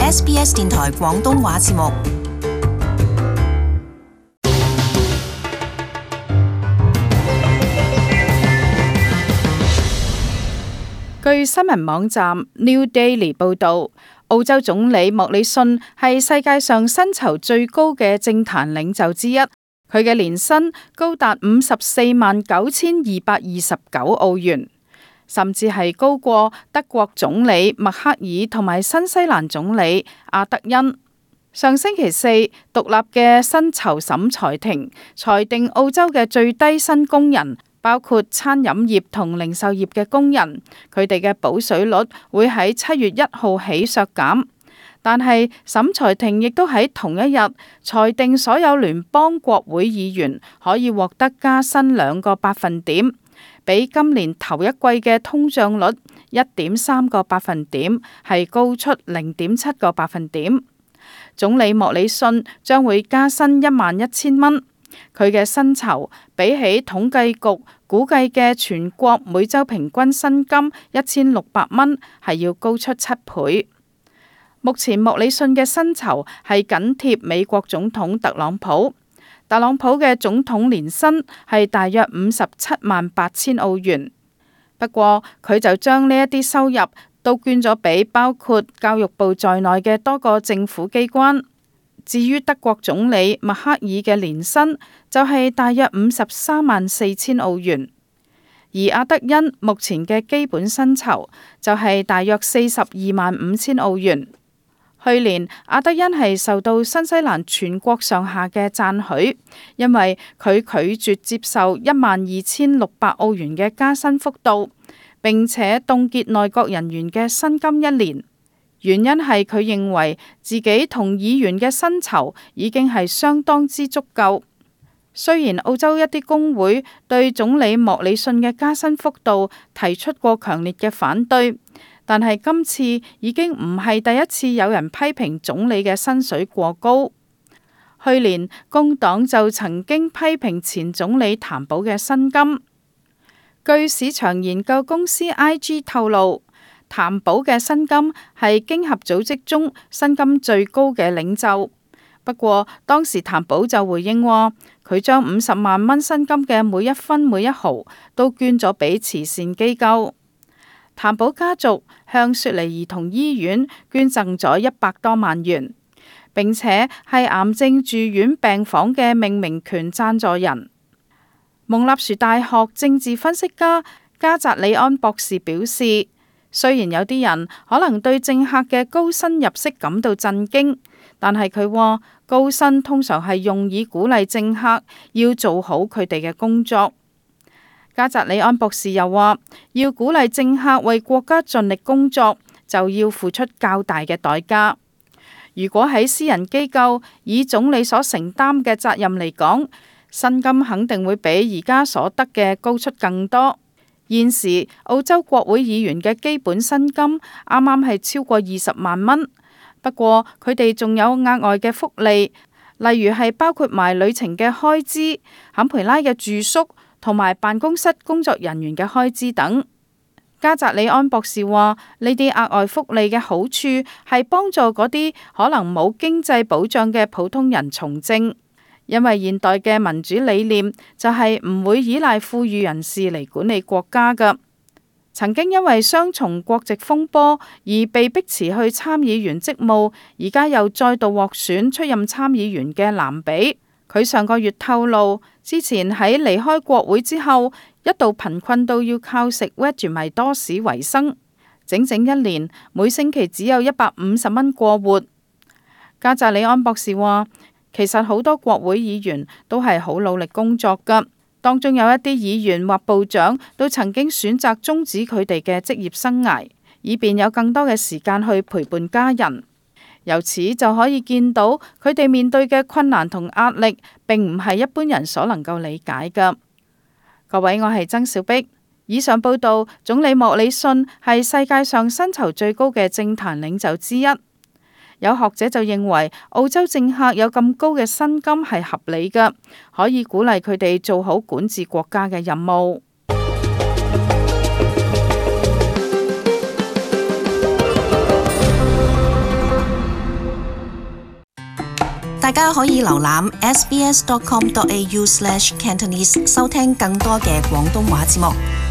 SBS 電台廣東話節目。據新聞網站 New Daily 報導，澳洲總理莫里遜係世界上薪酬最高嘅政壇領袖之一，佢嘅年薪高達549229澳元，甚至係高過德國總理默克爾同埋新西蘭總理阿德恩。上星期四，獨立嘅薪酬審裁庭裁定澳洲嘅最低薪工人，包括餐飲業同零售業嘅工人，佢哋嘅補水率會喺7月1號起削減。但係審裁庭亦都喺同一日裁定所有聯邦國會議員可以獲得加薪2個百分點，比今年頭一季嘅通脹率1.3個百分點係高出0.7個百分點。總理莫里遜將會加薪11000蚊。佢嘅薪酬比起統計局估計嘅全國每週平均薪金1600蚊係要高出7倍。目前莫里遜嘅薪酬係緊貼美國總統特朗普。特朗普嘅總統年薪係大約578000澳元。不過佢就將呢一啲收入都捐咗俾包括教育部在內嘅多個政府機關。至於德國總理默克爾嘅年薪就係大約534000澳元，而阿德恩目前嘅基本薪酬就係大約425000澳元。去年阿德恩係受到新西蘭全國上下嘅讚許，因為佢拒絕接受12600澳元嘅加薪幅度，並且凍結內閣人員嘅薪金1年。原因係佢認為自己同議員嘅薪酬已經係相當之足夠。雖然澳洲一啲工會對總理莫里遜嘅加薪幅度提出過強烈嘅反對，但係今次已經唔係第一次有人批評總理嘅薪水過高。去年工黨就曾經批評前總理譚寶嘅薪金。據市場研究公司 IG 透露，譚寶嘅薪金係經合組織中薪金最高嘅領袖。不過當時譚寶就回應話，佢將50萬蚊薪金嘅每一分每一毫都捐咗俾慈善機構。譚寶家族向雪梨兒童醫院捐贈咗100多萬元，並且係癌症住院病房嘅命名權贊助人。蒙納殊大學政治分析家加扎里安博士表示，雖然有啲人可能對政客嘅高薪入息感到震驚，但係佢話高薪通常係用以鼓勵政客要做好佢哋嘅工作。加扎里安博士又話，要鼓勵政客為國家盡力工作，就要付出較大嘅代價。如果喺私人機構，以總理所承擔嘅責任嚟講，薪金肯定會比而家所得嘅高出更多。現時澳洲國會議員嘅基本薪金啱啱係超過20萬蚊，不過佢哋仲有額外嘅福利，例如係包括埋旅程嘅開支、坎培拉嘅住宿同埋辦公室工作人員嘅開支等。加扎里安博士話，呢啲額外福利嘅好處係幫助嗰啲可能冇經濟保障嘅普通人從政。因為現代嘅民主理念就係唔會依賴富裕人士嚟管理國家㗎。曾經因為雙重國籍風波而被迫辭去參議員職務，而家又再度獲選出任參議員嘅藍比，佢上個月透露，之前喺離開國會之後，一度貧困到要靠食 Vegemite 多士為生，整整1年每星期只有150蚊過活。加扎里安博士話，其實好多國會議員都係好努力工作㗎，當中有一啲議員或部長都曾經選擇終止佢哋嘅職業生涯，以便有更多嘅時間去陪伴家人。由此就可以見到佢哋面對嘅困難同壓力，並唔係一般人所能夠理解㗎。各位，我係曾小碧。以上報道，總理莫里遜係世界上薪酬最高嘅政壇領袖之一。有學者就認為，澳洲政客有咁高嘅薪金係合理嘅，可以鼓勵佢哋做好管治國家嘅任務。大家可以瀏覽 sbs.com.au/Cantonese 收聽更多嘅廣東話節目。